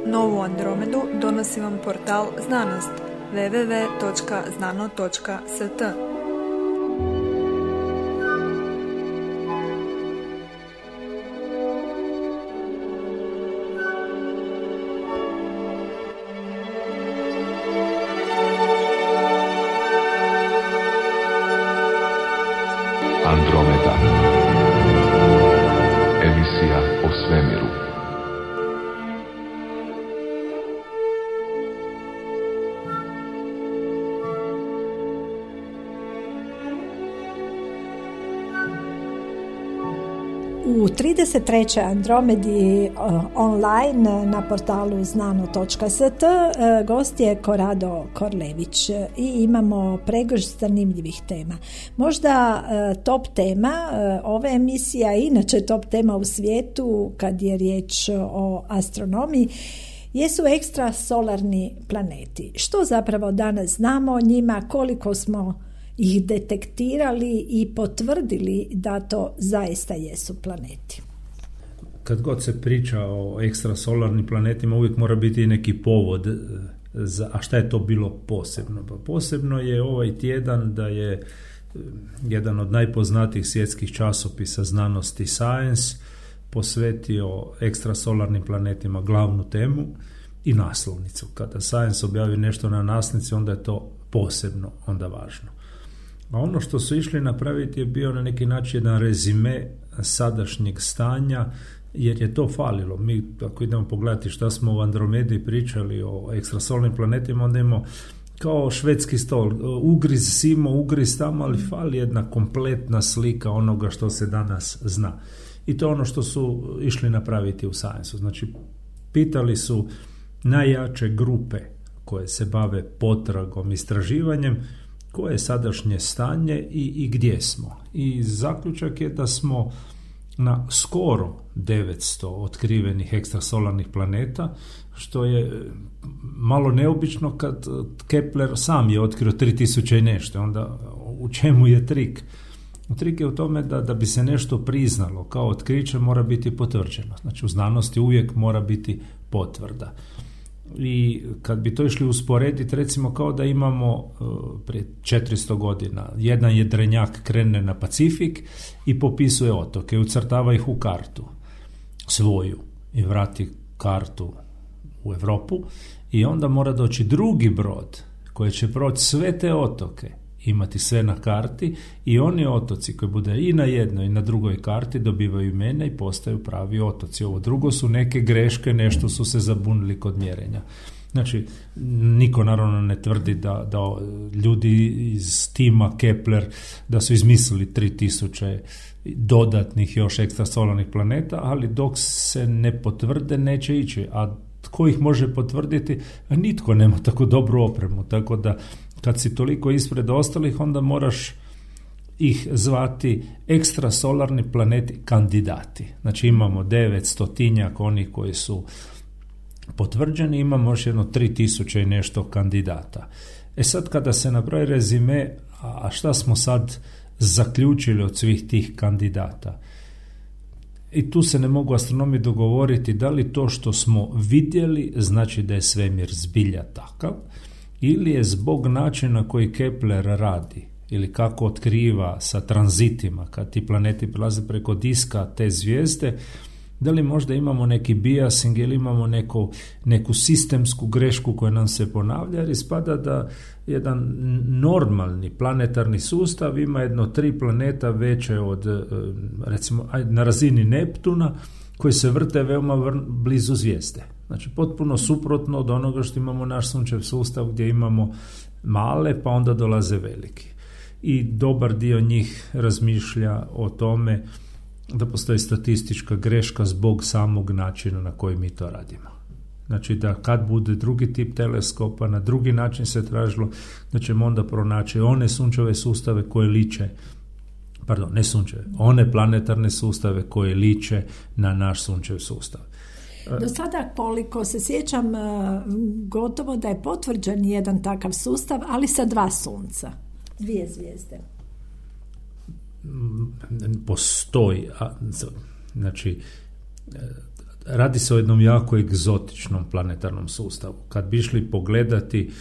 Novu Andromedu donosi vam portal Znanost www.znano.st. Andromeda. Emisija o svemiru. U 33. Andromedi online na portalu znano.st gost je Korado Korlević i imamo pregršt zanimljivih tema. Možda top tema ove emisije, a inače top tema u svijetu kad je riječ o astronomiji, jesu ekstrasolarni planeti. Što zapravo danas znamo o njima, koliko smo ih detektirali i potvrdili da to zaista jesu planeti? Kad god se priča o ekstrasolarnim planetima, uvijek mora biti neki povod a šta je to bilo posebno? Pa posebno je ovaj tjedan da je jedan od najpoznatijih svjetskih časopisa znanosti Science posvetio ekstrasolarnim planetima glavnu temu i naslovnicu. Kada Science objavi nešto na naslovnici, onda je to posebno, onda važno. A ono što su išli napraviti je bio na neki način jedan rezime sadašnjeg stanja, jer je to falilo. Mi, ako idemo pogledati šta smo u Andromedi pričali o ekstrasolarnim planetima, onda imamo kao švedski stol, ugriz simo, ugriz tamo, ali fali jedna kompletna slika onoga što se danas zna. I to je ono što su išli napraviti u Science-u. Znači, pitali su najjače grupe koje se bave potragom, istraživanjem, koje je sadašnje stanje i gdje smo. I zaključak je da smo na skoro 900 otkrivenih ekstrasolarnih planeta, što je malo neobično kad Kepler sam je otkrio 3000 i nešto. Onda u čemu je trik? Trik je u tome da bi se nešto priznalo kao otkriće, mora biti potvrđeno. Znači u znanosti uvijek mora biti potvrda. I kad bi to išli usporediti, recimo kao da imamo prije 400 godina jedan jedrenjak krene na Pacifik i popisuje otoke, ucrtava ih u kartu svoju i vrati kartu u Europu, i onda mora doći drugi brod koji će proći sve te otoke, imati sve na karti, i oni otoci koji bude i na jednoj i na drugoj karti dobivaju imena i postaju pravi otoci. Ovo drugo su neke greške, nešto su se zabunili kod mjerenja. Znači, niko naravno ne tvrdi da ljudi iz tima Kepler da su izmislili 3000 dodatnih još ekstrasolarnih planeta, ali dok se ne potvrde neće ići. A tko ih može potvrditi? Nitko nema tako dobru opremu, tako da kad si toliko ispred ostalih, onda moraš ih zvati ekstrasolarni planeti kandidati. Znači imamo 900 onih koji su potvrđeni, imamo još jedno 3000 i nešto kandidata. Sad kada se napravi rezime, a šta smo sad zaključili od svih tih kandidata? I tu se ne mogu astronomi dogovoriti da li to što smo vidjeli znači da je svemir zbilja takav, ili je zbog načina koji Kepler radi ili kako otkriva sa tranzitima kad ti planeti prelaze preko diska te zvijezde, da li možda imamo neki biasing ili imamo neku sistemsku grešku koja nam se ponavlja, jer ispada da jedan normalni planetarni sustav ima jedno 3 planeta veće od, recimo na razini Neptuna, koji se vrte veoma blizu zvijezde. Znači potpuno suprotno od onoga što imamo naš sunčev sustav, gdje imamo male pa onda dolaze veliki. I dobar dio njih razmišlja o tome da postoji statistička greška zbog samog načina na koji mi to radimo. Znači da kad bude drugi tip teleskopa, na drugi način se tražilo, da ćemo onda pronaći one sunčeve sustave koje liče, ne sunčeve, one planetarne sustave koje liče na naš sunčev sustav. Do sada, koliko se sjećam, gotovo da je potvrđen jedan takav sustav, ali sa 2 sunca, 2 zvijezde. Postoji, znači radi se o jednom jako egzotičnom planetarnom sustavu. Kad bi išli pogledati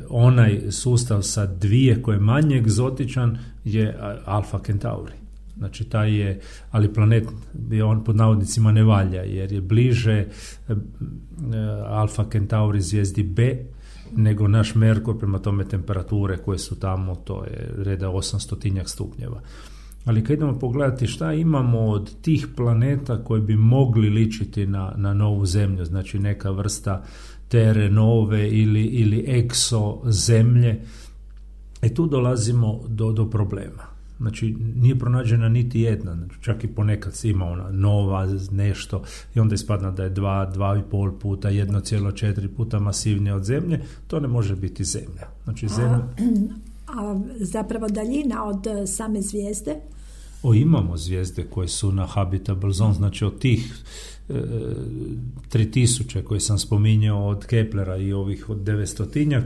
onaj sustav sa dvije koji je manje egzotičan je Alfa Centauri. Znači taj je, ali planet bi on pod navodnicima ne valja jer je bliže Alfa Centauri zvijezdi B nego naš Merkur, prema tome temperature koje su tamo, to je reda 800 stupnjeva. Ali kad idemo pogledati šta imamo od tih planeta koji bi mogli ličiti na novu zemlju, znači neka vrsta Terre Nove ili exo zemlje, tu dolazimo do problema. Znači, nije pronađena niti jedna, znači, čak i ponekad ima ona nova nešto i onda ispadna da je 2,5 puta, 1,4 puta masivnija od zemlje, to ne može biti zemlja. Znači, zemlja... A zapravo daljina od same zvijezde? Imamo zvijezde koje su na habitable zone, znači od tih 3000 koje sam spominjao od Keplera i ovih od 900-tinjak,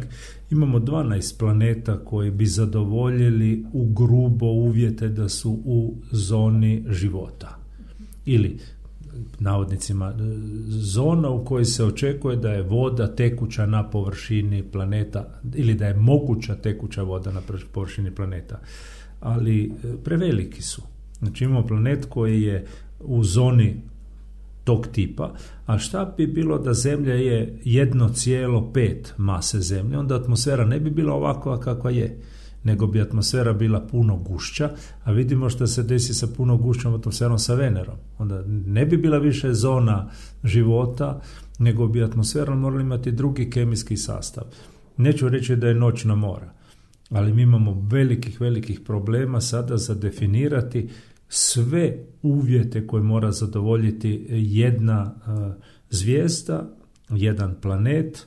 imamo 12 planeta koji bi zadovoljili u grubo uvjete da su u zoni života. Ili, navodnicima, zona u kojoj se očekuje da je voda tekuća na površini planeta ili da je moguća tekuća voda na površini planeta. Ali preveliki su. Znači imamo planet koji je u zoni tog tipa, a šta bi bilo da Zemlja je 1,5 mase Zemlje, onda atmosfera ne bi bila ovakva kakva je, nego bi atmosfera bila puno gušća, a vidimo što se desi sa puno gušćom atmosferom sa Venerom. Onda ne bi bila više zona života, nego bi atmosfera morala imati drugi kemijski sastav. Neću reći da je noćna mora, ali mi imamo velikih problema sada za definirati sve uvjete koje mora zadovoljiti jedna zvijezda, jedan planet,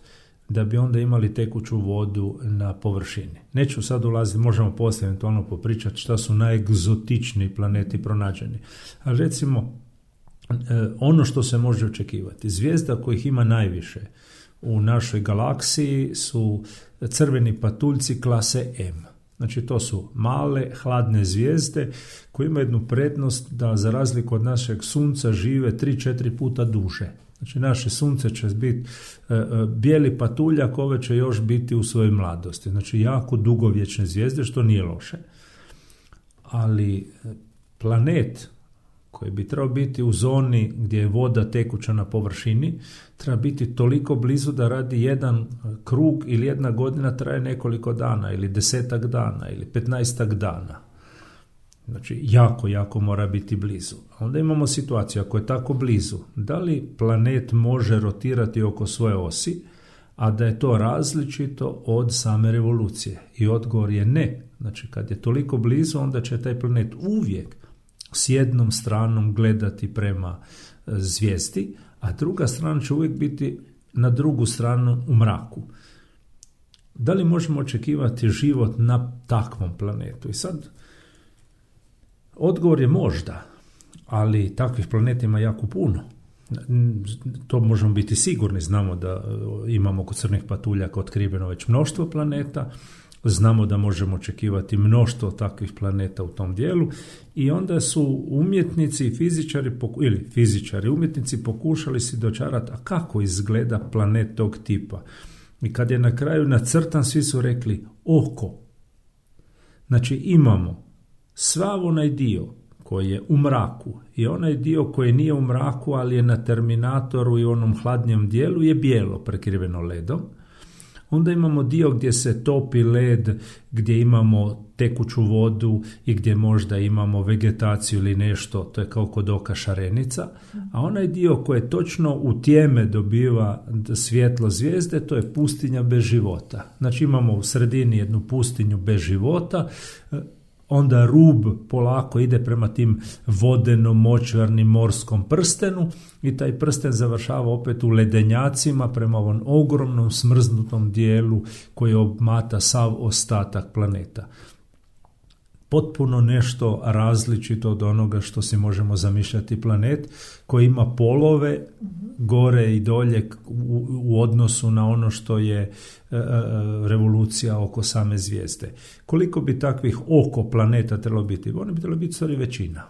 da bi onda imali tekuću vodu na površini. Neću sad ulaziti, možemo poslije eventualno popričati šta su najegzotičniji planeti pronađeni. Ali recimo, ono što se može očekivati, zvijezda kojih ima najviše u našoj galaksiji su crveni patuljci klase M. Znači to su male, hladne zvijezde koje imaju jednu prednost da za razliku od našeg sunca žive 3-4 puta duže. Znači naše sunce će biti bijeli patuljak, ove će još biti u svojoj mladosti. Znači jako dugovječne zvijezde, što nije loše. Ali planet koji bi trebao biti u zoni gdje je voda tekuća na površini, treba biti toliko blizu da radi jedan krug ili jedna godina traje nekoliko dana ili 10 dana ili 15 dana. Znači jako mora biti blizu. Onda imamo situaciju, ako je tako blizu, da li planet može rotirati oko svoje osi, a da je to različito od same revolucije? I odgovor je ne. Znači kad je toliko blizu, onda će taj planet uvijek s jednom stranom gledati prema zvijezdi, a druga strana će uvijek biti na drugu stranu u mraku. Da li možemo očekivati život na takvom planetu? I sad, odgovor je možda, ali takvih planeta ima jako puno. To možemo biti sigurni, znamo da imamo kod crnih patuljaka otkriveno već mnoštvo planeta, znamo da možemo očekivati mnoštvo takvih planeta u tom dijelu i onda su umjetnici i fizičari umjetnici pokušali si dočarati, a kako izgleda planet tog tipa. I kad je na kraju nacrtan, svi su rekli oko. Znači imamo sav onaj dio koji je u mraku i onaj dio koji nije u mraku, ali je na terminatoru i onom hladnjem dijelu je bijelo prekriveno ledom. Onda imamo dio gdje se topi led, gdje imamo tekuću vodu i gdje možda imamo vegetaciju ili nešto, to je kao kod oka šarenica, a onaj dio koji točno u tjeme dobiva svjetlo zvijezde, to je pustinja bez života. Znači imamo u sredini jednu pustinju bez života, onda rub polako ide prema tim vodeno-močvarnim morskom prstenu i taj prsten završava opet u ledenjacima prema ovom ogromnom smrznutom dijelu koji obmata sav ostatak planeta. Potpuno nešto različito od onoga što si možemo zamišljati planet koji ima polove gore i dolje u odnosu na ono što je revolucija oko same zvijezde. Koliko bi takvih oko planeta trebalo biti? Oni bi trebalo biti stvari većina.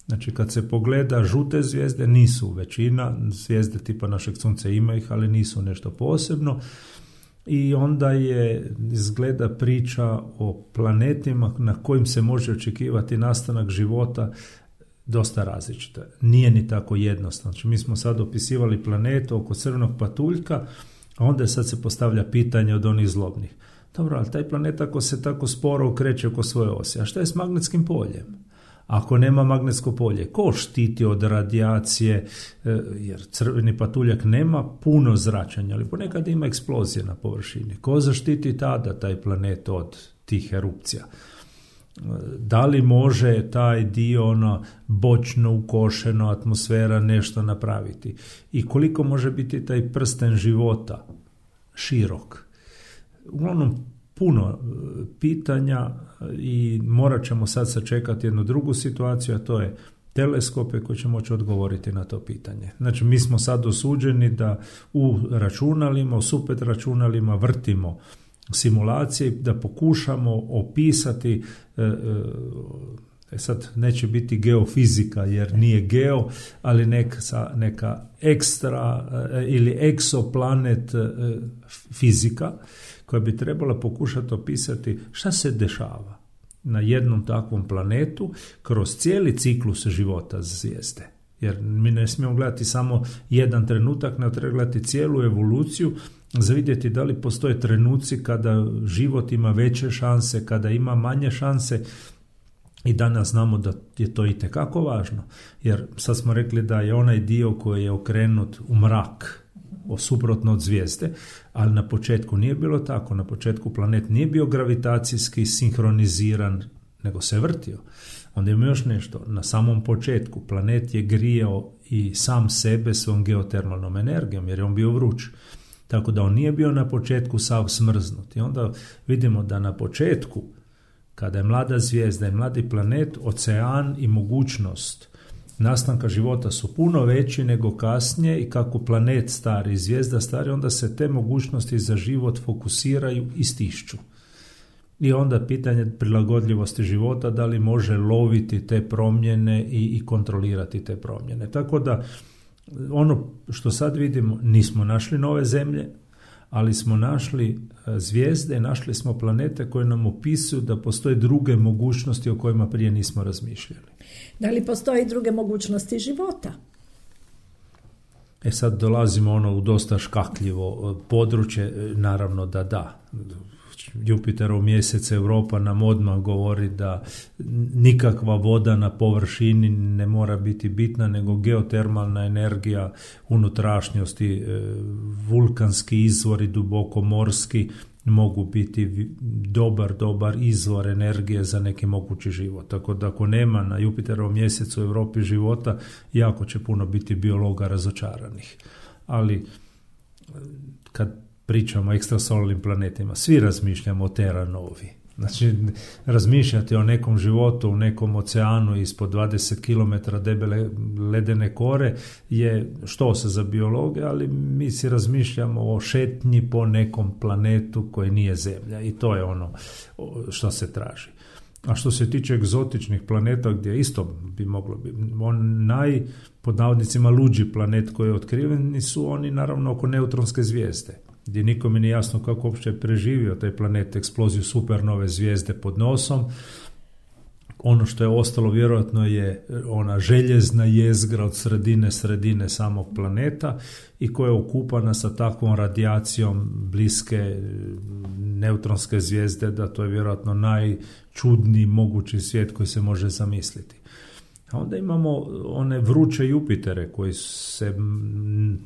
Znači kad se pogleda žute zvijezde, nisu većina, zvijezde tipa našeg sunca ima ih, ali nisu nešto posebno. I onda je izgleda priča o planetima na kojim se može očekivati nastanak života dosta različita. Nije ni tako jednostavno. Znači mi smo sad opisivali planetu oko crvenog patuljka, a onda sad se postavlja pitanje od onih zlobnih. Dobro, ali taj planet ako se tako sporo okreće oko svoje osi, a šta je s magnetskim poljem? Ako nema magnetsko polje, ko štiti od radijacije, jer crveni patuljak nema puno zračenja, ali ponekad ima eksplozije na površini. Ko zaštiti tada taj planet od tih erupcija? Da li može taj dio bočno ukošeno atmosfera nešto napraviti? I koliko može biti taj prsten života širok? Uglavnom, puno pitanja i morat ćemo sad sačekati jednu drugu situaciju, a to je teleskope koji će moći odgovoriti na to pitanje. Znači, mi smo sad osuđeni da u računalima, u super računalima vrtimo simulacije, da pokušamo opisati, sad neće biti geofizika jer nije geo, ali neka ekstra ili eksoplanet fizika koja bi trebala pokušati opisati šta se dešava na jednom takvom planetu kroz cijeli ciklus života zvijezde. Jer mi ne smijemo gledati samo jedan trenutak, nego treba gledati cijelu evoluciju za vidjeti da li postoje trenuci kada život ima veće šanse, kada ima manje šanse. I danas znamo da je to itekako važno, jer sad smo rekli da je onaj dio koji je okrenut u mrak, suprotno od zvijezde, ali na početku nije bilo tako. Na početku planet nije bio gravitacijski sinhroniziran, nego se vrtio. Onda ima još nešto. Na samom početku planet je grijao i sam sebe svom geotermalnom energijom, jer je on bio vruć. Tako da on nije bio na početku sav smrznut. I onda vidimo da na početku, kada je mlada zvijezda i mladi planet, ocean i mogućnost nastanka života su puno veći nego kasnije i kako planet stari i zvijezda stari, onda se te mogućnosti za život fokusiraju i stišću. I onda pitanje prilagodljivosti života, da li može loviti te promjene i kontrolirati te promjene. Tako da ono što sad vidimo, nismo našli nove zemlje, ali smo našli zvijezde, našli smo planete koje nam opisuju da postoje druge mogućnosti o kojima prije nismo razmišljali. Da li postoje druge mogućnosti života? Sad dolazimo u dosta škakljivo područje, naravno da. Jupiterov mjesec, Europa nam odmah govori da nikakva voda na površini ne mora biti bitna, nego geotermalna energija, unutrašnjosti, vulkanski izvori, duboko morski mogu biti dobar izvor energije za neki mogući život. Tako da ako nema na Jupiterovom mjesecu u Europi života, jako će puno biti biologa razočaranih. Ali kad pričamo o ekstrasolarnim planetima, svi razmišljamo o Terra Novi. Znači, razmišljati o nekom životu u nekom oceanu ispod 20 km debele ledene kore je štosa za biologe, ali mi si razmišljamo o šetnji po nekom planetu koji nije Zemlja i to je ono što se traži. A što se tiče egzotičnih planeta, gdje isto bi moglo biti, pod navodnicima luđi planet koji je otkriven, su oni naravno oko neutronske zvijezde, gdje nikome nije jasno kako uopće je preživio taj planet eksploziju supernove zvijezde pod nosom. Ono što je ostalo vjerojatno je ona željezna jezgra od sredine samog planeta i koja je okupana sa takvom radijacijom bliske neutronske zvijezde da to je vjerojatno najčudniji mogući svijet koji se može zamisliti. A onda imamo one vruće Jupitere koji se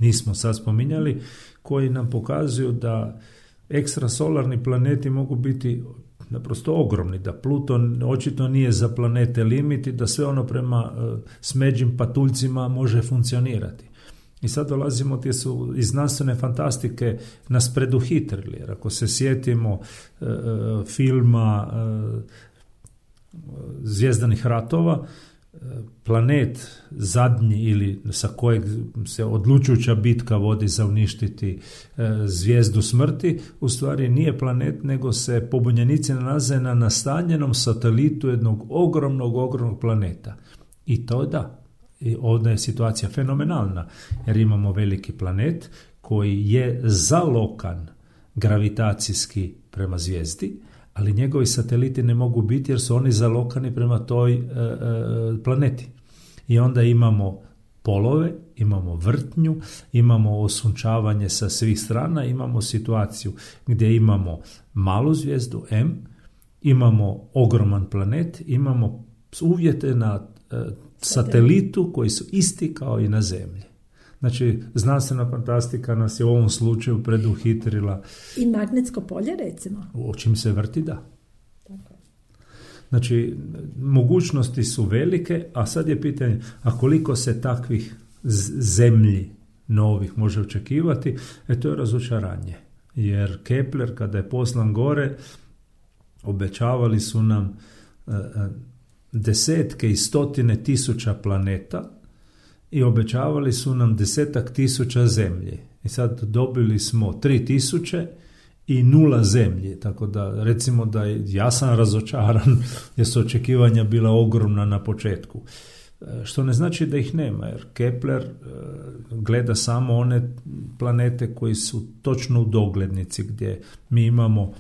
nismo sad spominjali, koji nam pokazuju da ekstrasolarni planeti mogu biti naprosto ogromni, da Pluton očito nije za planete limit i da sve ono prema smeđim patuljcima može funkcionirati. I sad dolazimo gdje su iz znanstvene fantastike nas preduhitrili, jer ako se sjetimo filma Zvjezdanih ratova, planet zadnji ili sa kojeg se odlučujuća bitka vodi za uništiti zvijezdu smrti, u stvari nije planet, nego se pobunjenici nalaze na nastanjenom satelitu jednog ogromnog planeta. I to da. I ovdje je situacija fenomenalna, jer imamo veliki planet koji je zalokan gravitacijski prema zvijezdi, ali njegovi sateliti ne mogu biti jer su oni zalokani prema toj planeti. I onda imamo polove, imamo vrtnju, imamo osunčavanje sa svih strana, imamo situaciju gdje imamo malu zvijezdu M, imamo ogroman planet, imamo uvjete na satelitu koji su isti kao i na Zemlji. Znači, znanstvena fantastika nas je u ovom slučaju preduhitrila. I magnetsko polje, recimo? O čim se vrti, da. Znači, mogućnosti su velike, a sad je pitanje, a koliko se takvih zemlji novih može očekivati, to je razočaranje. Jer Kepler, kada je poslan gore, obećavali su nam desetke i stotine tisuća planeta i obećavali su nam 10.000 zemlji. I sad dobili smo 3.000 i 0 zemlji, tako da recimo da ja sam razočaran jer su očekivanja bila ogromna na početku. Što ne znači da ih nema, jer Kepler gleda samo one planete koji su točno u doglednici, gdje mi imamo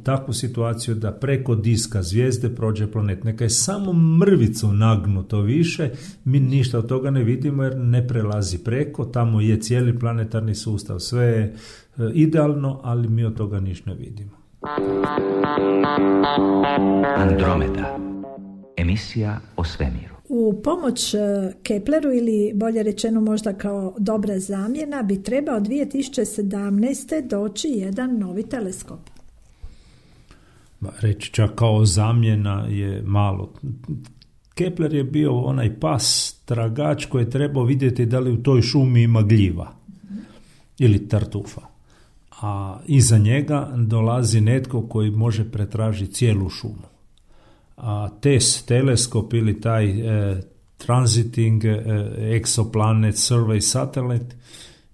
takvu situaciju da preko diska zvijezde prođe planet. Neka je samo mrvicu nagnuto više, mi ništa od toga ne vidimo jer ne prelazi preko, tamo je cijeli planetarni sustav, sve je idealno, ali mi od toga ništa ne vidimo. Andromeda, emisija o svemiru. U pomoć Kepleru, ili bolje rečeno možda kao dobra zamjena, bi trebao 2017. doći jedan novi teleskop. Reći čak kao zamjena je malo. Kepler je bio onaj pas tragač koji je trebao vidjeti da li u toj šumi ima gljiva ili tartufa. A iza njega dolazi netko koji može pretražiti cijelu šumu. A TESS teleskop ili taj Transiting Exoplanet Survey Satellite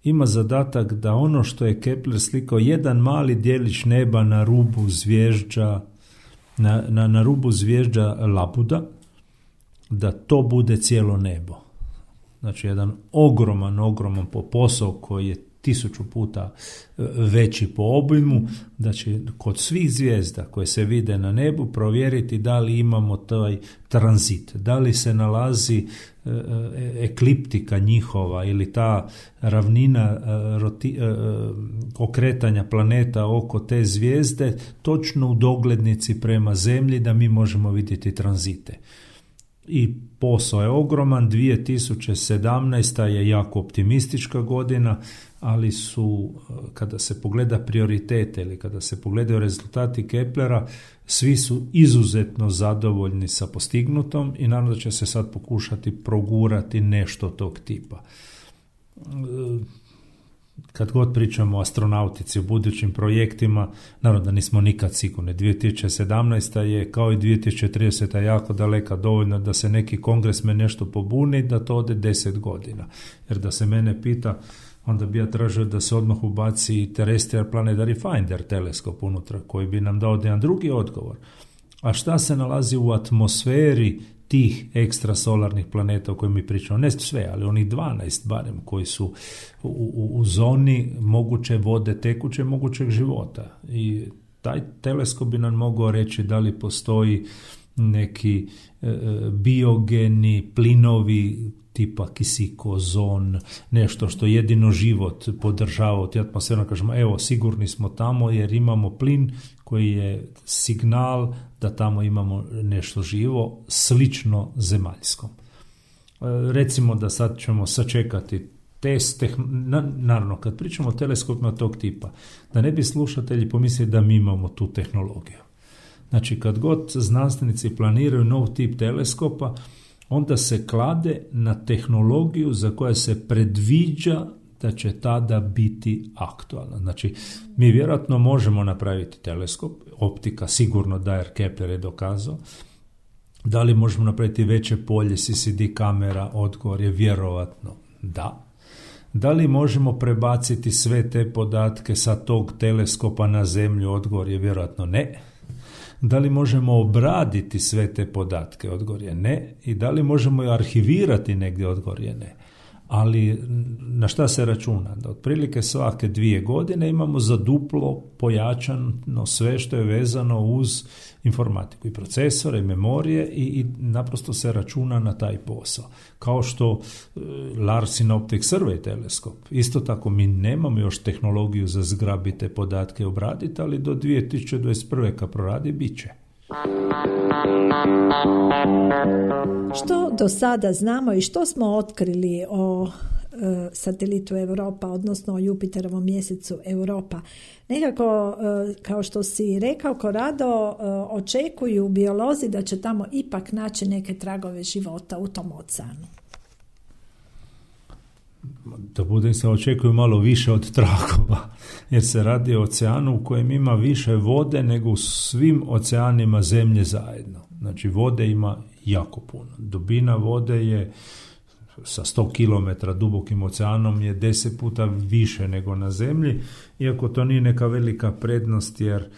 ima zadatak da ono što je Kepler slikao, jedan mali djelić neba na rubu zvježđa, na rubu zvježđa Labuda, da to bude cijelo nebo. Znači jedan ogroman posao koji je 1000 puta veći po obujmu, da će kod svih zvijezda koje se vide na nebu provjeriti da li imamo taj tranzit, da li se nalazi ekliptika njihova ili ta ravnina okretanja planeta oko te zvijezde točno u doglednici prema Zemlji, da mi možemo vidjeti tranzite. I posao je ogroman. 2017. je jako optimistička godina, ali su, kada se pogleda prioritete ili kada se pogledaju rezultati Keplera, svi su izuzetno zadovoljni sa postignutom i naravno da će se sad pokušati progurati nešto tog tipa. Kad god pričamo o astronautici, o budućim projektima, naravno da nismo nikad sigurni. 2017. je kao i 2030. jako daleka, dovoljno da se neki kongresmen nešto pobuni, da to ode 10 godina. Jer da se mene pita, onda bi ja tražio da se odmah ubaci Terrestrial Planetary Finder teleskop unutra, koji bi nam dao jedan drugi odgovor. A šta se nalazi u atmosferi tih ekstrasolarnih planeta o kojima mi pričamo? Ne sve, ali onih 12 barem koji su u zoni moguće vode, tekuće mogućeg života. I taj teleskop bi nam mogao reći da li postoji neki biogeni plinovi tipa kisik, ozon, nešto što jedino život podržava od atmosfera. Kažemo, evo, sigurni smo tamo jer imamo plin koji je signal da tamo imamo nešto živo, slično zemaljskom. Recimo da sad ćemo sačekati test, naravno kad pričamo o teleskopima tog tipa, da ne bi slušatelji pomislili da mi imamo tu tehnologiju. Znači kad god znanstvenici planiraju nov tip teleskopa, onda se klade na tehnologiju za koja se predviđa da će tada biti aktualna. Znači, mi vjerojatno možemo napraviti teleskop, optika sigurno da, jer Kepler je dokazao. Da li možemo napraviti veće polje CCD kamera? Odgovor je vjerojatno da. Da li možemo prebaciti sve te podatke sa tog teleskopa na Zemlju? Odgovor je vjerojatno ne. Da li možemo obraditi sve te podatke? Odgovor je ne. I da li možemo arhivirati negdje? Odgovor je ne. Ali na šta se računa? Da otprilike svake 2 godine imamo za duplo pojačano sve što je vezano uz informatiku i procesore, i memorije i naprosto se računa na taj posao. Kao što Larsen Optic Survey teleskop. Isto tako mi nemamo još tehnologiju za zgrabite podatke i obraditi, ali do 2021. kad proradi, bit će. Što do sada znamo i što smo otkrili o satelitu Europa, odnosno o Jupiterovom mjesecu Europa? Nekako, kao što si rekao, Korado, očekuju biolozi da će tamo ipak naći neke tragove života u tom oceanu. Da budem se, očekuju malo više od tragova, jer se radi o oceanu u kojem ima više vode nego u svim oceanima zemlje zajedno. Znači vode ima jako puno. Dubina vode je sa 100 km dubokim oceanom je 10 puta više nego na zemlji, iako to nije neka velika prednost, jer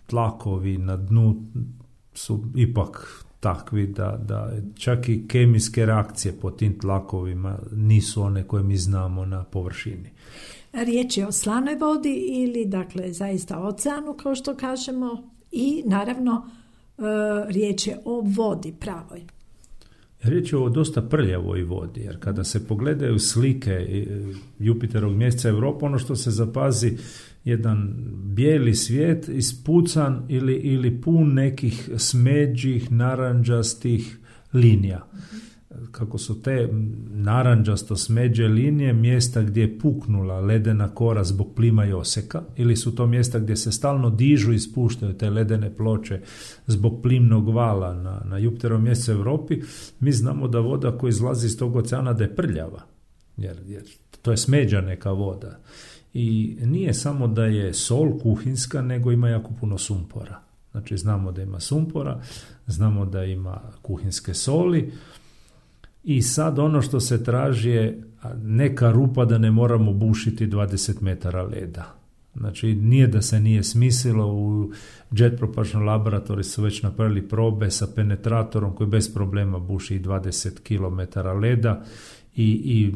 tlakovi na dnu su ipak takvi da čak i kemijske reakcije po tim tlakovima nisu one koje mi znamo na površini. Riječ je o slanoj vodi ili dakle zaista oceanu, kao što kažemo, i naravno riječ je o vodi pravoj. Riječ je o dosta prljavoj vodi, jer kada se pogledaju slike Jupiterovog mjeseca Europa, ono što se zapazi, jedan bijeli svijet ispucan ili pun nekih smeđih, naranđastih linija. Kako su te naranđasto smeđe linije mjesta gdje je puknula ledena kora zbog plima i oseka, ili su to mjesta gdje se stalno dižu i spuštaju te ledene ploče zbog plimnog vala na Jupiterovom mjesecu Europi, mi znamo da voda koja izlazi iz tog oceana da je prljava, jer to je smeđa neka voda. I nije samo da je sol kuhinska, nego ima jako puno sumpora. Znači znamo da ima sumpora, znamo da ima kuhinske soli, i sad ono što se traži je neka rupa da ne moramo bušiti 20 metara leda. Znači nije da se nije smislilo, u Jet Propulsion laboratoriji su već napravili probe sa penetratorom koji bez problema buši 20 km leda i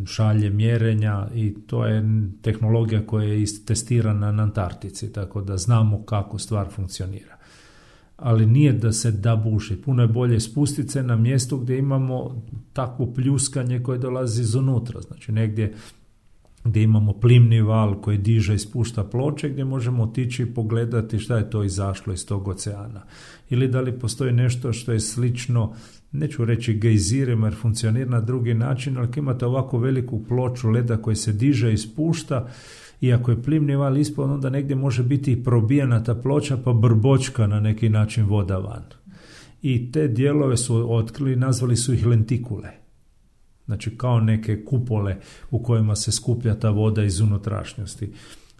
šalje mjerenja, i to je tehnologija koja je testirana na Antarktici, tako da znamo kako stvar funkcionira. Ali nije da se da buši. Puno je bolje spustiti se na mjesto gdje imamo takvo pljuskanje koje dolazi izunutra. Znači negdje gdje imamo plimni val koji diže i spušta ploče, gdje možemo otići i pogledati šta je to izašlo iz tog oceana. Ili da li postoji nešto što je slično, neću reći gejzirima jer funkcionira na drugi način, ali ako imate ovako veliku ploču leda koji se diže i spušta, i ako je plimni val ispod, onda negdje može biti i probijena ta ploča pa brbočka na neki način voda van. I te dijelove su otkrili, nazvali su ih lentikule. Znači kao neke kupole u kojima se skuplja ta voda iz unutrašnjosti.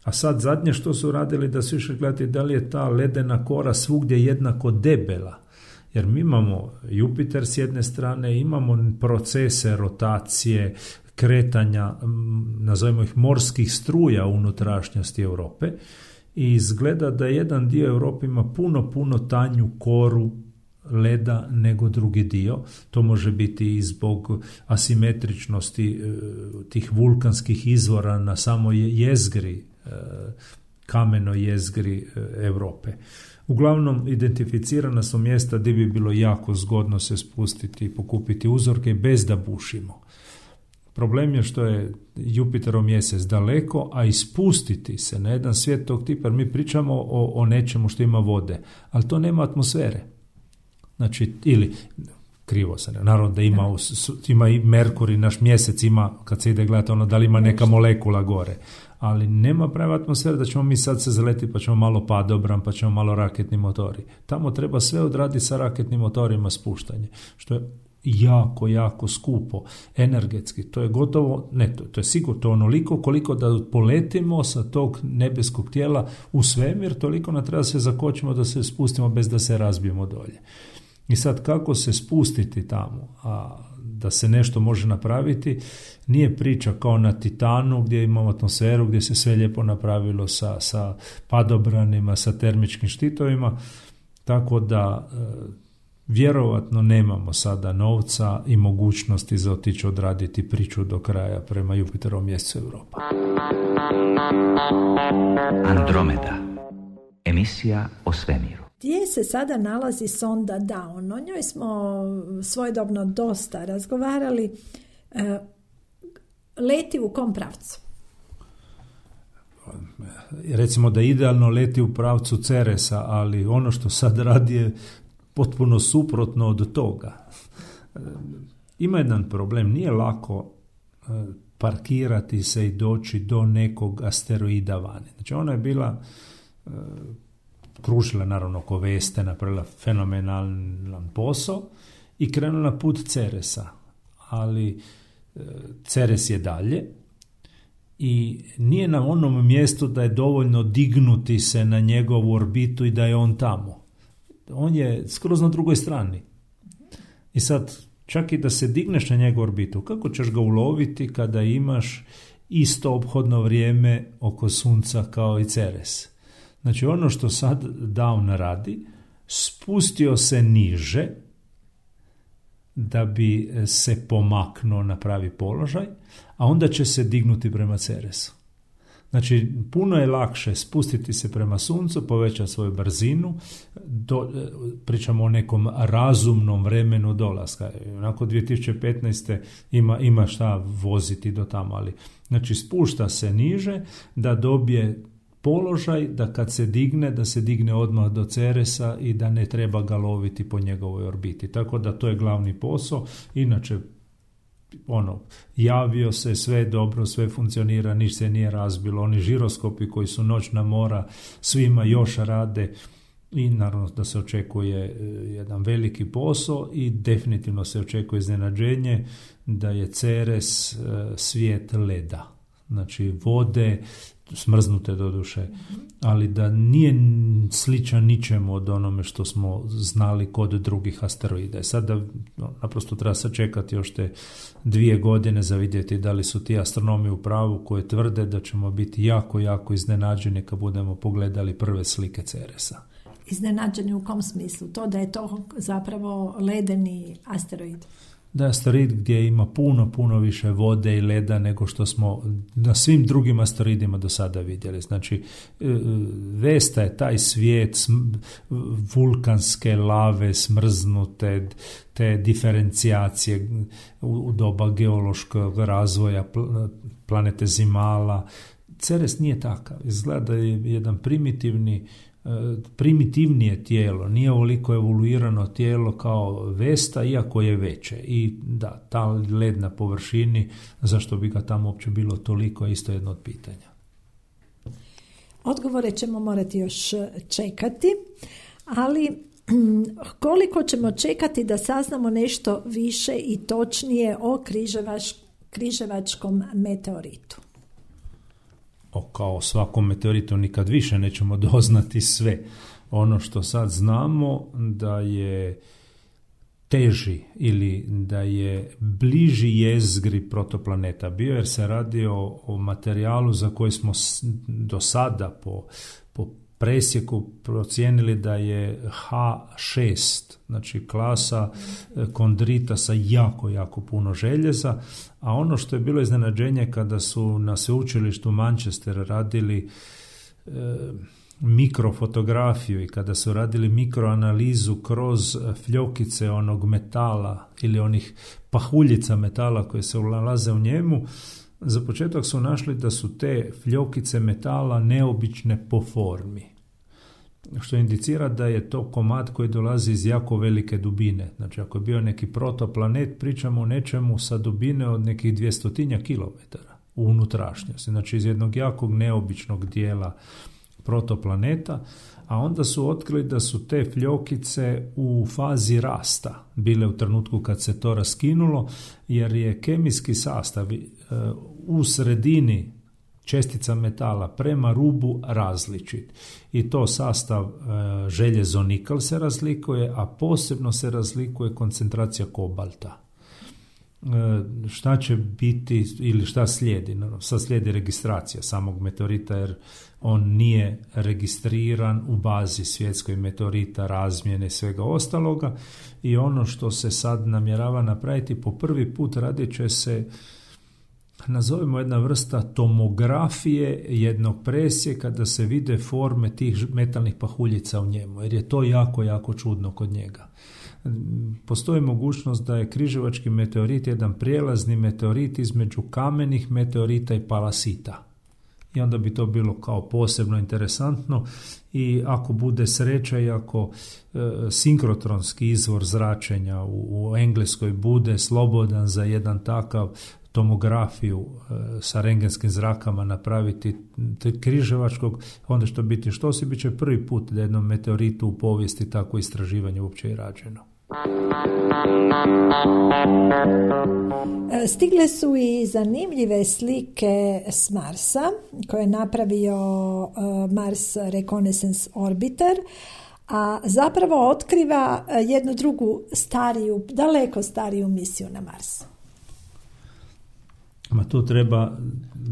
A sad zadnje što su radili, da su išli gledati da li je ta ledena kora svugdje jednako debela. Jer mi imamo Jupiter s jedne strane, imamo procese rotacije, kretanja, nazovimo ih morskih struja u unutrašnjosti Europe, i izgleda da jedan dio Europe ima puno tanju koru leda nego drugi dio. To može biti i zbog asimetričnosti tih vulkanskih izvora na samoj jezgri, kamenoj jezgri Europe. Uglavnom, identificirana su mjesta gdje bi bilo jako zgodno se spustiti i pokupiti uzorke bez da bušimo. Problem je što je Jupiterov mjesec daleko, a ispustiti se na jedan svijet tog tipa, jer mi pričamo o nečemu što ima vode, ali to nema atmosfere. Znači, ili, krivo se ne, naravno da ima i Merkur i naš mjesec ima, kad se ide gledati ono da li ima neka molekula gore, ali nema prave atmosfere da ćemo mi sad se zaletiti pa ćemo malo padobran, pa ćemo malo raketni motori. Tamo treba sve odraditi sa raketnim motorima spuštanje, što je jako skupo, energetski. To je gotovo, to je sigurno to onoliko koliko da poletimo sa tog nebeskog tijela u svemir, toliko nam treba se zakočimo da se spustimo bez da se razbijemo dolje. I sad kako se spustiti tamo, a da se nešto može napraviti, nije priča kao na Titanu gdje imamo atmosferu, gdje se sve lijepo napravilo sa padobranima, sa termičkim štitovima. Tako da vjerovatno nemamo sada novca i mogućnosti za otići odraditi priču do kraja prema Jupiterovom mjesecu Europa. Andromeda. Emisija o svemiru. Gdje se sada nalazi sonda Dawn? O njoj smo svojedobno dosta razgovarali. Leti u kom pravcu? Recimo da idealno leti u pravcu Ceresa, ali ono što sad radi je potpuno suprotno od toga. Ima jedan problem, nije lako parkirati se i doći do nekog asteroida vani. Znači ona je bila kružila naravno oko Veste, napravila fenomenalan posao i krenula na put Ceresa, ali Ceres je dalje i nije na onom mjestu da je dovoljno dignuti se na njegovu orbitu i da je on tamo. On je skroz na drugoj strani. I sad, čak i da se digneš na njegovu orbitu, kako ćeš ga uloviti kada imaš isto ophodno vrijeme oko Sunca kao i Ceres? Znači, ono što sad Dawn radi, spustio se niže da bi se pomaknuo na pravi položaj, a onda će se dignuti prema Ceresu. Znači, puno je lakše spustiti se prema Suncu, povećati svoju brzinu, pričamo o nekom razumnom vremenu dolaska. Onako 2015. ima šta voziti do tamo, ali znači spušta se niže da dobije položaj da kad se digne, da se digne odmah do Ceresa i da ne treba ga loviti po njegovoj orbiti. Tako da to je glavni posao. Inače, javio se, sve dobro, sve funkcionira, ništa se nije razbilo. Oni žiroskopi koji su noćna mora, svima još rade i naravno da se očekuje jedan veliki posao i definitivno se očekuje iznenađenje da je Ceres svijet leda. Znači vode, smrznute doduše, ali da nije sličan ničemu od onome što smo znali kod drugih asteroida. Sada naprosto treba sačekati još te 2 godine za vidjeti da li su ti astronomi u pravu koji tvrde da ćemo biti jako, jako iznenađeni kad budemo pogledali prve slike Ceresa. Iznenađeni u kom smislu? To da je to zapravo ledeni asteroid? Da je asteroid gdje ima puno više vode i leda nego što smo na svim drugim asteroidima do sada vidjeli. Znači, Vesta je taj svijet vulkanske lave, smrznute, te diferencijacije u doba geološkog razvoja planete Zimala. Ceres nije takav. Izgleda da je jedan primitivnije tijelo, nije ovoliko evoluirano tijelo kao Vesta, iako je veće. I da, ta led na površini, zašto bi ga tamo uopće bilo toliko, je isto jedno od pitanja. Odgovore ćemo morati još čekati, ali koliko ćemo čekati da saznamo nešto više i točnije o križevačkom meteoritu? Kao svakom meteoritu nikad više nećemo doznati sve. Ono što sad znamo da je teži ili da je bliži jezgri protoplaneta bio, jer se radi o materijalu za koji smo do sada po presjeku procijenili da je H6, znači klasa kondrita sa jako puno željeza, a ono što je bilo iznenađenje kada su na sveučilištu Manchester radili mikrofotografiju i kada su radili mikroanalizu kroz fljokice onog metala ili onih pahuljica metala koje se nalaze u njemu, za početak su našli da su te fljokice metala neobične po formi, što indicira da je to komad koji dolazi iz jako velike dubine. Znači, ako je bio neki protoplanet, pričamo o nečemu sa dubine od nekih 200 kilometara u unutrašnjosti. Znači, iz jednog jakog neobičnog dijela protoplaneta, a onda su otkrili da su te fljokice u fazi rasta bile u trenutku kad se to raskinulo, jer je kemijski sastav u sredini čestica metala prema rubu različit. I to sastav željezo-nikl se razlikuje, a posebno se razlikuje koncentracija kobalta. šta će biti ili šta slijedi. Sad slijedi registracija samog meteorita jer on nije registriran u bazi svjetskoj meteorita, razmjene i svega ostaloga i ono što se sad namjerava napraviti po prvi put radit će se, nazovimo jedna vrsta tomografije jednog presjeka da se vide forme tih metalnih pahuljica u njemu, jer je to jako, jako čudno kod njega. Postoji mogućnost da je križevački meteorit jedan prijelazni meteorit između kamenih meteorita i palasita. I onda bi to bilo kao posebno interesantno i ako bude sreća i ako sinkrotronski izvor zračenja u Engleskoj bude slobodan za jedan takav tomografiju sa rengenskim zrakama napraviti križevačkog, onda što biti što se bit će prvi put da jednom meteoritu u povijesti tako istraživanje uopće i rađeno. Stigle su i zanimljive slike s Marsa koje je napravio Mars Reconnaissance Orbiter, a zapravo otkriva jednu drugu stariju, daleko stariju misiju na Mars. Ma tu treba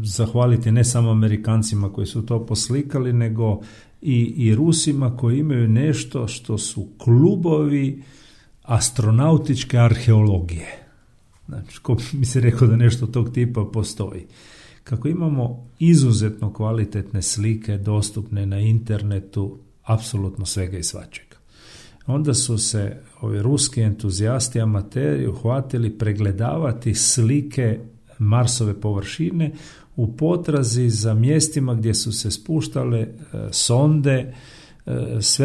zahvaliti ne samo Amerikancima koji su to poslikali, nego i Rusima koji imaju nešto što su klubovi astronautičke arheologije. Znači, ko mi se rekao da nešto tog tipa postoji. Kako imamo izuzetno kvalitetne slike dostupne na internetu, apsolutno svega i svačega. Onda su se ovi ruski entuzijasti, amateri uhvatili pregledavati slike Marsove površine u potrazi za mjestima gdje su se spuštale sonde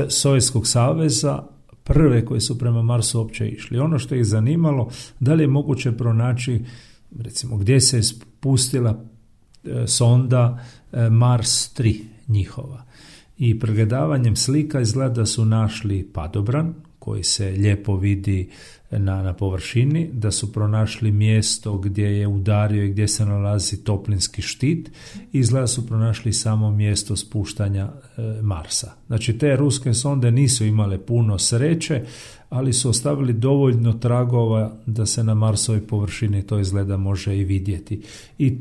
Sovjetskog saveza, prve koje su prema Marsu uopće išli. Ono što ih zanimalo, da li je moguće pronaći, recimo, gdje se je spustila sonda Mars 3 njihova. I pregledavanjem slika izgleda da su našli padobran, koji se lijepo vidi na površini, da su pronašli mjesto gdje je udario i gdje se nalazi toplinski štit i izgleda su pronašli samo mjesto spuštanja Marsa. Znači, te ruske sonde nisu imale puno sreće, ali su ostavili dovoljno tragova da se na Marsovoj površini to izgleda može i vidjeti. I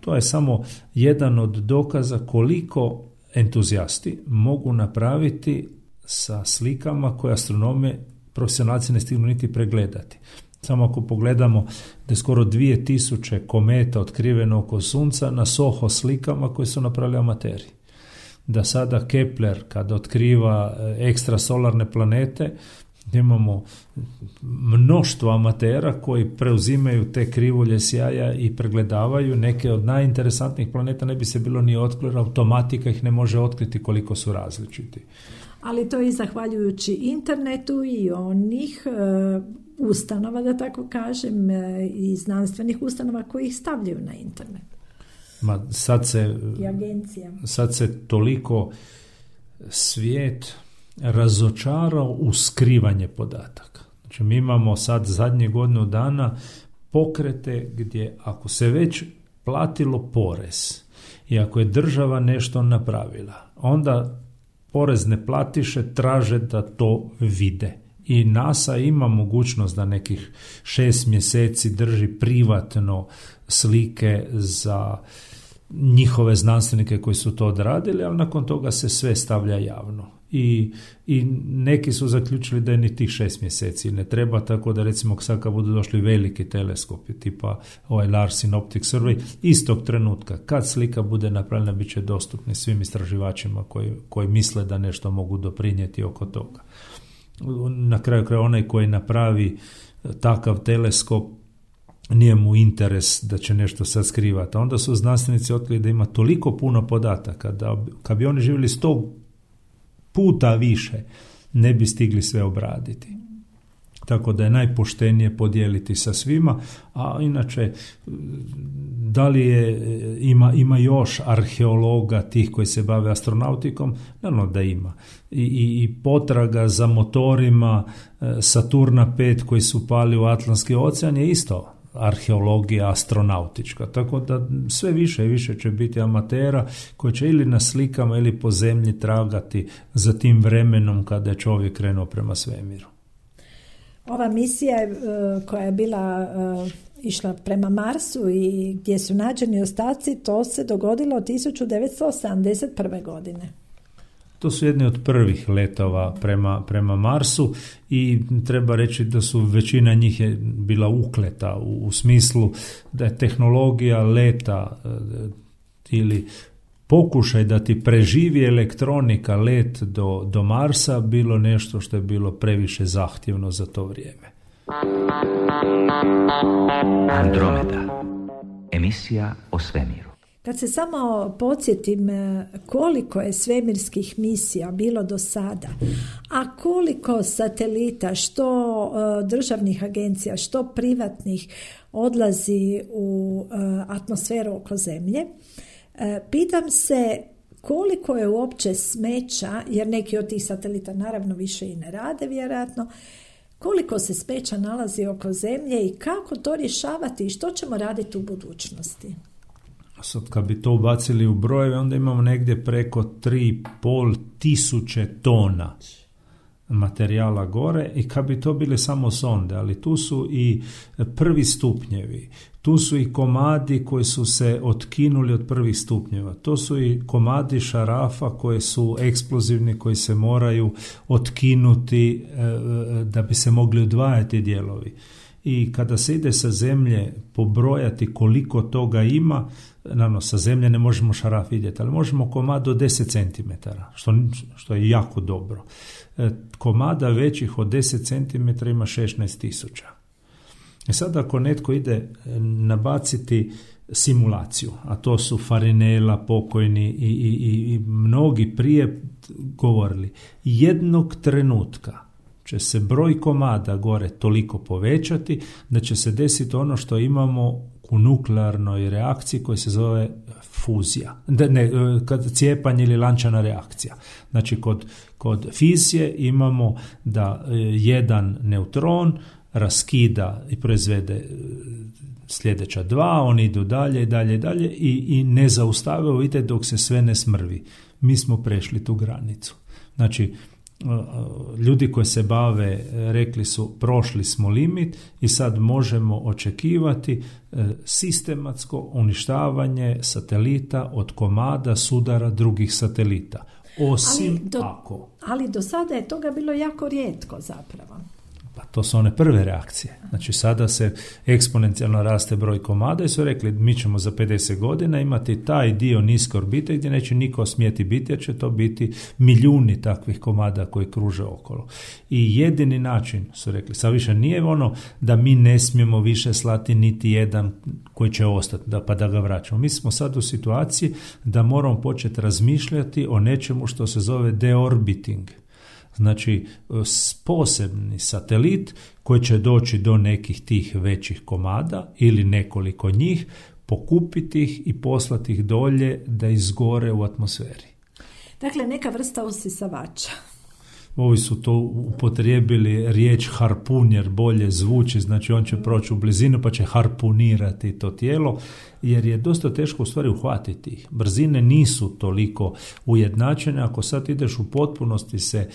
to je samo jedan od dokaza koliko entuzijasti mogu napraviti sa slikama koje astronome profesionalci ne stignu niti pregledati. Samo ako pogledamo da je skoro 2000 kometa otkriveno oko Sunca na SOHO slikama koje su napravili amateri. Da sada Kepler kada otkriva ekstrasolarne planete, imamo mnoštvo amatera koji preuzimaju te krivulje sjaja i pregledavaju neke od najinteresantnijih planeta, ne bi se bilo ni otkrilo, automatika ih ne može otkriti koliko su različiti. Ali to i zahvaljujući internetu i onih ustanova, da tako kažem, i znanstvenih ustanova koji ih stavljaju na internet. Ma sad se toliko svijet razočarao u skrivanje podataka. Znači, mi imamo sad zadnje godinu dana pokrete gdje ako se već platilo porez i ako je država nešto napravila, onda porezne platiše traže da to vide. I NASA ima mogućnost da nekih 6 mjeseci drži privatno slike za njihove znanstvenike koji su to odradili, ali nakon toga se sve stavlja javno. I neki su zaključili da je ni tih 6 mjeseci ne treba, tako da recimo sad kad budu došli veliki teleskopi tipa ovaj Larsen Optic Survey, istog trenutka kad slika bude napravljena bit će dostupni svim istraživačima koji misle da nešto mogu doprinijeti oko toga. Na kraju kraja onaj koji napravi takav teleskop nije mu interes da će nešto sad skrivati. Onda su znanstvenici otkrili da ima toliko puno podataka da kad bi oni živjeli 100 puta više ne bi stigli sve obraditi. Tako da je najpoštenije podijeliti sa svima, a inače da li ima još arheologa tih koji se bave astronautikom? Naravno da ima. I potraga za motorima Saturna 5 koji su pali u Atlantski ocean je isto arheologija astronautička, tako da sve više i više će biti amatera koji će ili na slikama ili po zemlji tragati za tim vremenom kada je čovjek krenuo prema svemiru. Ova misija koja je bila išla prema Marsu i gdje su nađeni ostaci, to se dogodilo 1971. godine. To su jedni od prvih letova prema Marsu i treba reći da su većina njih je bila ukleta u smislu da je tehnologija leta ili pokušaj da ti preživi elektronika let do Marsa bilo nešto što je bilo previše zahtjevno za to vrijeme. Andromeda. Emisija o svemiru. Kad se samo podsjetim koliko je svemirskih misija bilo do sada, a koliko satelita, što državnih agencija, što privatnih odlazi u atmosferu oko Zemlje, pitam se koliko je uopće smeća, jer neki od tih satelita naravno više i ne rade vjerojatno, koliko se smeća nalazi oko Zemlje i kako to rješavati i što ćemo raditi u budućnosti. Sad kad bi to ubacili u brojeve, onda imamo negdje preko 3.500 tona materijala gore i kad bi to bile samo sonde, ali tu su i prvi stupnjevi, tu su i komadi koji su se otkinuli od prvih stupnjeva, to su i komadi šarafa koji su eksplozivni, koji se moraju otkinuti da bi se mogli odvajati dijelovi. I kada se ide sa Zemlje pobrojati koliko toga ima, naravno sa Zemlje ne možemo šaraf vidjeti, ali možemo komad do 10 cm, što je jako dobro. Komada većih od 10 cm ima 16.000. I sad ako netko ide nabaciti simulaciju, a to su Farinella, pokojni i mnogi prije govorili, jednog trenutka će se broj komada gore toliko povećati da će se desiti ono što imamo u nuklearnoj reakciji koja se zove fuzija, cijepanje ili lančana reakcija. Znači kod fizije imamo da jedan neutron raskida i proizvede sljedeća dva, oni idu dalje i ne zaustavaju, ide dok se sve ne smrvi. Mi smo prešli tu granicu. Znači, ljudi koji se bave rekli su prošli smo limit i sad možemo očekivati sistematsko uništavanje satelita od komada sudara drugih satelita. Ali do sada je toga bilo jako rijetko zapravo. Pa to su one prve reakcije. Znači sada se eksponencijalno raste broj komada i su rekli mi ćemo za 50 godina imati taj dio niske orbite gdje neće niko smjeti biti jer će to biti milijuni takvih komada koji kruže okolo. I jedini način su rekli, sad više nije ono da mi ne smijemo više slati niti jedan koji će ostati pa da ga vraćamo. Mi smo sad u situaciji da moramo početi razmišljati o nečemu što se zove deorbiting. Znači, posebni satelit koji će doći do nekih tih većih komada ili nekoliko njih, pokupiti ih i poslati ih dolje da izgore u atmosferi. Dakle, neka vrsta usisavača. Ovi su to upotrijebili riječ harpun jer bolje zvuči, znači on će proći u blizinu pa će harpunirati to tijelo, jer je dosta teško u stvari uhvatiti ih. Brzine nisu toliko ujednačene, ako sad ideš u potpunosti se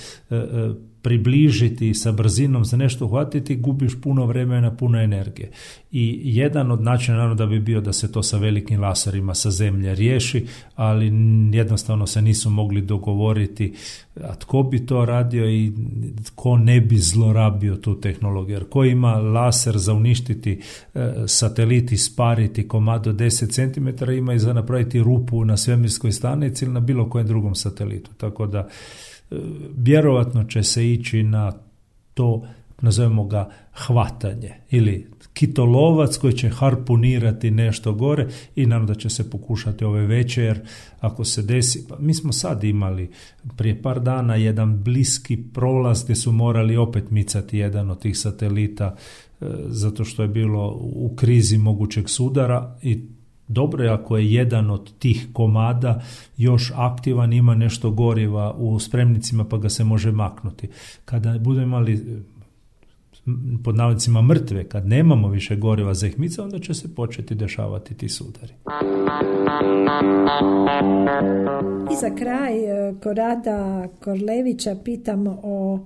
približiti sa brzinom za nešto uhvatiti, gubiš puno vremena, puno energije. I jedan od načina naravno da bi bio da se to sa velikim laserima sa Zemlje riješi, ali jednostavno se nisu mogli dogovoriti a tko bi to radio i tko ne bi zlorabio tu tehnologiju. Jer ko ima laser za uništiti satelit i spariti komad do 10 cm, ima i za napraviti rupu na svemirskoj stanici ili na bilo kojem drugom satelitu. Tako da vjerovatno će se ići na to, nazovemo ga hvatanje ili kitolovac koji će harpunirati nešto gore i naravno da će se pokušati ove veće, jer ako se desi, pa mi smo sad imali prije par dana jedan bliski prolaz gdje su morali opet micati jedan od tih satelita zato što je bilo u krizi mogućeg sudara i dobro je ako je jedan od tih komada još aktivan, ima nešto goriva u spremnicima pa ga se može maknuti. Kada budemo imali pod navodnicima mrtve, kad nemamo više goriva za ih mica, onda će se početi dešavati ti sudari. I za kraj Korada Korlevića pitam o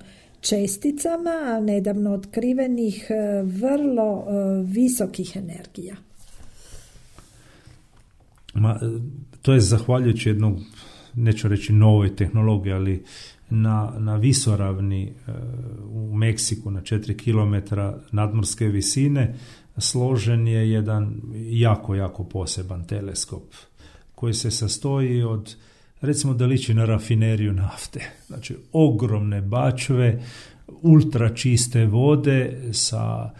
česticama nedavno otkrivenih vrlo visokih energija. To je zahvaljujući jednog, neću reći novoj tehnologiji, ali na visoravni u Meksiku na 4 km nadmorske visine složen je jedan jako poseban teleskop koji se sastoji od, recimo da liči na rafineriju nafte. Znači ogromne bačve, ultra čiste vode sa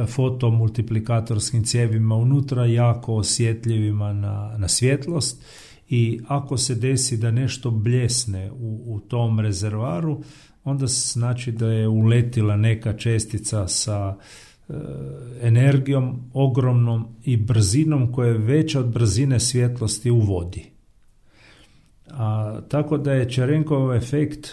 fotomultiplikatorskim cijevima unutra, jako osjetljivima na svjetlost, i ako se desi da nešto bljesne u tom rezervaru, onda znači da je uletila neka čestica sa energijom ogromnom i brzinom koja je veća od brzine svjetlosti u vodi. Tako da je Čerenkov efekt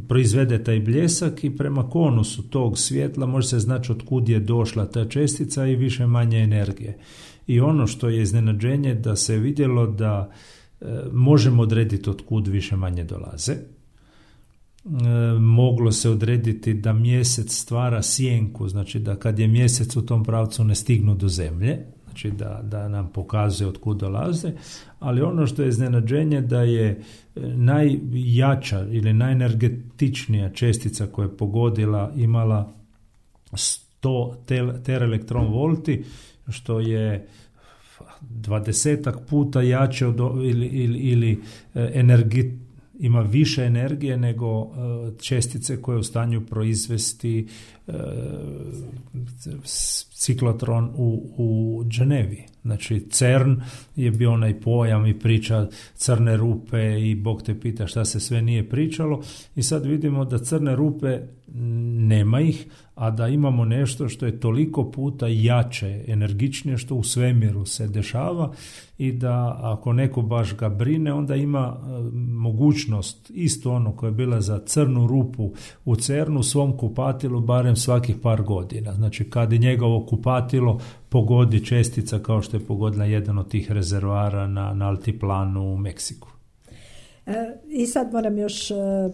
proizvede taj bljesak i prema konusu tog svjetla može se znači od kud je došla ta čestica i više manje energije. I ono što je iznenađenje da se vidjelo da možemo odrediti od kud više manje dolaze. Moglo se odrediti da mjesec stvara sjenku, znači da kad je mjesec u tom pravcu ne stignu do zemlje, znači da nam pokazuje od kud dolaze, ali ono što je iznenađenje da je najjača ili najenergetičnija čestica koja je pogodila imala 100 teraelektron volti, što je 20 puta jače ili ima više energije nego čestice koje je u stanju proizvesti ciklotron u Ženevi. Znači CERN je bio onaj pojam i priča crne rupe i Bog te pita šta se sve nije pričalo, i sad vidimo da crne rupe nema ih, a da imamo nešto što je toliko puta jače, energičnije, što u svemiru se dešava, i da ako neko baš ga brine, onda ima mogućnost isto ono koja je bila za crnu rupu u CERN-u, svom kupatilu barem svakih par godina. Znači kad je njegovo kupatilo pogodi čestica kao što je pogodila jedan od tih rezervoara na altiplanu u Meksiku. I sad moram još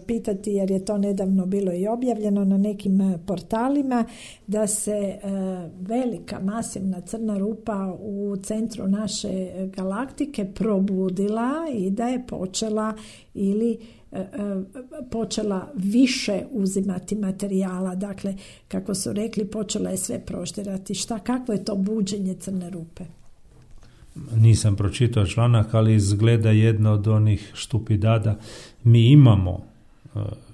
pitati, jer je to nedavno bilo i objavljeno na nekim portalima, da se velika masivna crna rupa u centru naše galaktike probudila i da je počela više uzimati materijala. Dakle, kako su rekli, počela je sve proštirati. Kakvo je to buđenje crne rupe? Nisam pročitao članak, ali izgleda jedna od onih štupidada. Mi imamo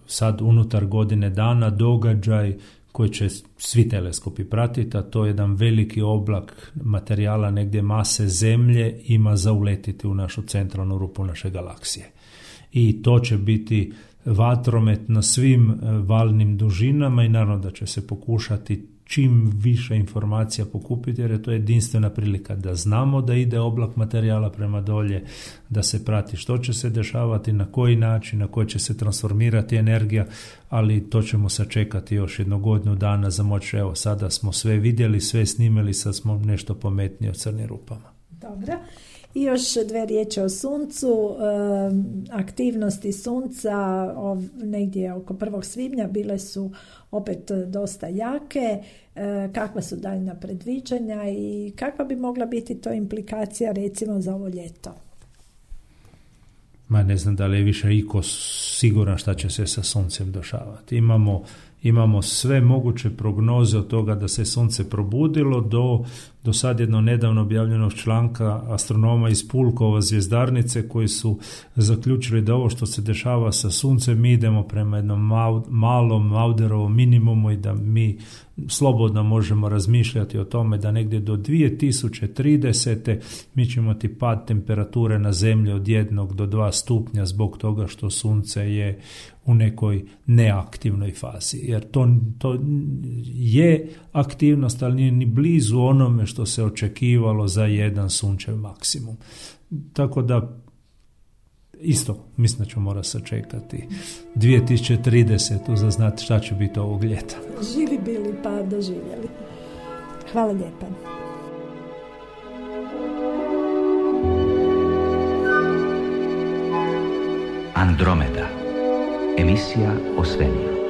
sad unutar godine dana događaj koji će svi teleskopi pratiti, a to je jedan veliki oblak materijala negdje mase Zemlje ima za uletiti u našu centralnu rupu naše galaksije. I to će biti vatromet na svim valnim dužinama i naravno da će se pokušati čim više informacija pokupiti, jer je to jedinstvena prilika da znamo da ide oblak materijala prema dolje, da se prati što će se dešavati, na koji način, na koji će se transformirati energija, ali to ćemo sačekati još jednu godinu dana za moć. Evo, sada smo sve vidjeli, sve snimili, sad smo nešto pametniji o crnim rupama. Dobro. I još 2 riječi o suncu. Aktivnosti sunca negdje oko 1. svibnja bile su opet dosta jake. Kakva su daljnja predviđanja i kakva bi mogla biti to implikacija recimo za ovo ljeto? Ne znam da li je više iko siguran šta će se sa suncem dešavati. Imamo sve moguće prognoze od toga da se sunce probudilo do sad jedno nedavno objavljenog članka astronoma iz Pulkova zvjezdarnice koji su zaključili da ovo što se dešava sa suncem, mi idemo prema jednom malom Mauderovom minimumu i da mi slobodno možemo razmišljati o tome da negdje do 2030. mi ćemo imati pad temperature na Zemlji od 1 do 2 stupnja zbog toga što sunce je u nekoj neaktivnoj fazi. Jer to je aktivnost, ali nije ni blizu onome što se očekivalo za jedan sunčev maksimum. Tako da isto mislim da ćemo morati sačekati 2030. za znati šta će biti ovog ljeta. Živi bili pa doživjeli. Hvala lijepa. Andromeda. Emisija o svemiru.